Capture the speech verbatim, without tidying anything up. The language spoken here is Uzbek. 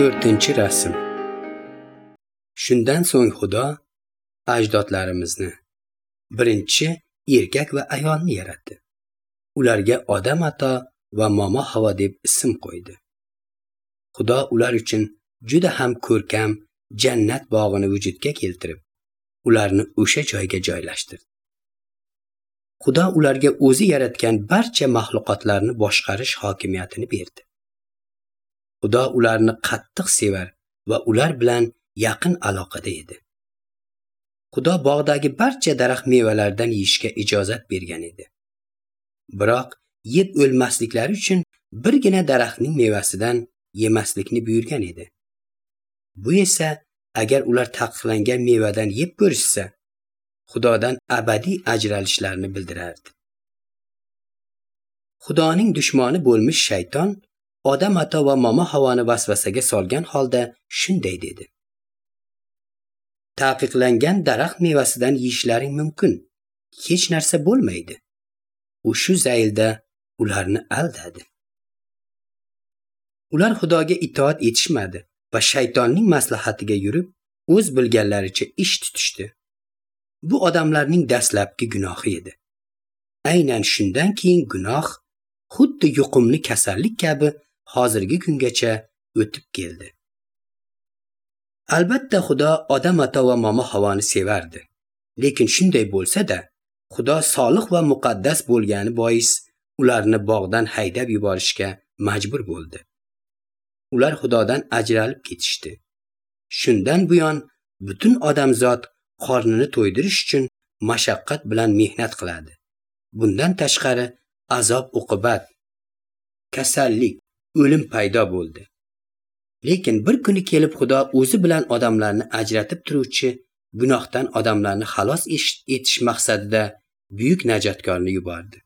To'rtinchi rasm. Shundan so'ng Xudo ajdodlarimizni, birinchi erkak va ayolni yaratdi. Ularga Odam ato va Momo Havo deb ism qo'ydi. Xudo ular uchun juda ham ko'rkam jannat bog'ini vujudga keltirib, ularni o'sha joyga joylashtirdi. Xudo ularga o'zi yaratgan barcha maxluqotlarni boshqarish hokimiyatini berdi. Xudo ularni qattiq sevar va ular bilan yaqin aloqada edi. Xudo bog'dagi barcha daraxt mevalaridan yeyishga ijozat bergan edi. Biroq yeb o'lmasliklari uchun birgina daraxtning mevasidan yemaslikni buyurgan edi. Bu esa agar ular taqiqlangan mevadan yeb ko'rishsa, Xudodan abadiy ajralishlarini bildirardi. Xudoning dushmani bo'lmish shayton Odam ato va Momo Havoni vasvasaga solgan holda shunday dedi: Taqiqlangan daraxt mevasidan yeyishlaring mumkin, hech narsa bo'lmaydi. U shu zaylda ularni aldadi. Ular Xudoga itoat etishmadi va shaytonning maslahatiga yurib, o'z bilganlaricha ish tutishdi. Bu odamlarning dastlabki gunohi edi. Aynan shundan keyin gunoh xuddi yuqumli kasallik kabi hozirgi kungacha o'tib keldi. Albatta Xudo Odam ato va Momo Havoni sevardi. Lekin shunday bo'lsa-da, Xudo solih va muqaddas bo'lgani bois ularni bog'dan haydab yuborishga majbur bo'ldi. Ular Xudodan ajralib ketishdi. Shundan buyon butun odamzod qornini to'ydirish uchun mashaqqat bilan mehnat qiladi. Bundan tashqari azob uqubat, kasallik, o'lim paydo bo'ldi. Lekin bir kuni kelib Xudo o'zi bilan odamlarni ajratib turuvchi gunohdan odamlarni xalos etish maqsadida buyuk najotkorni yubordi.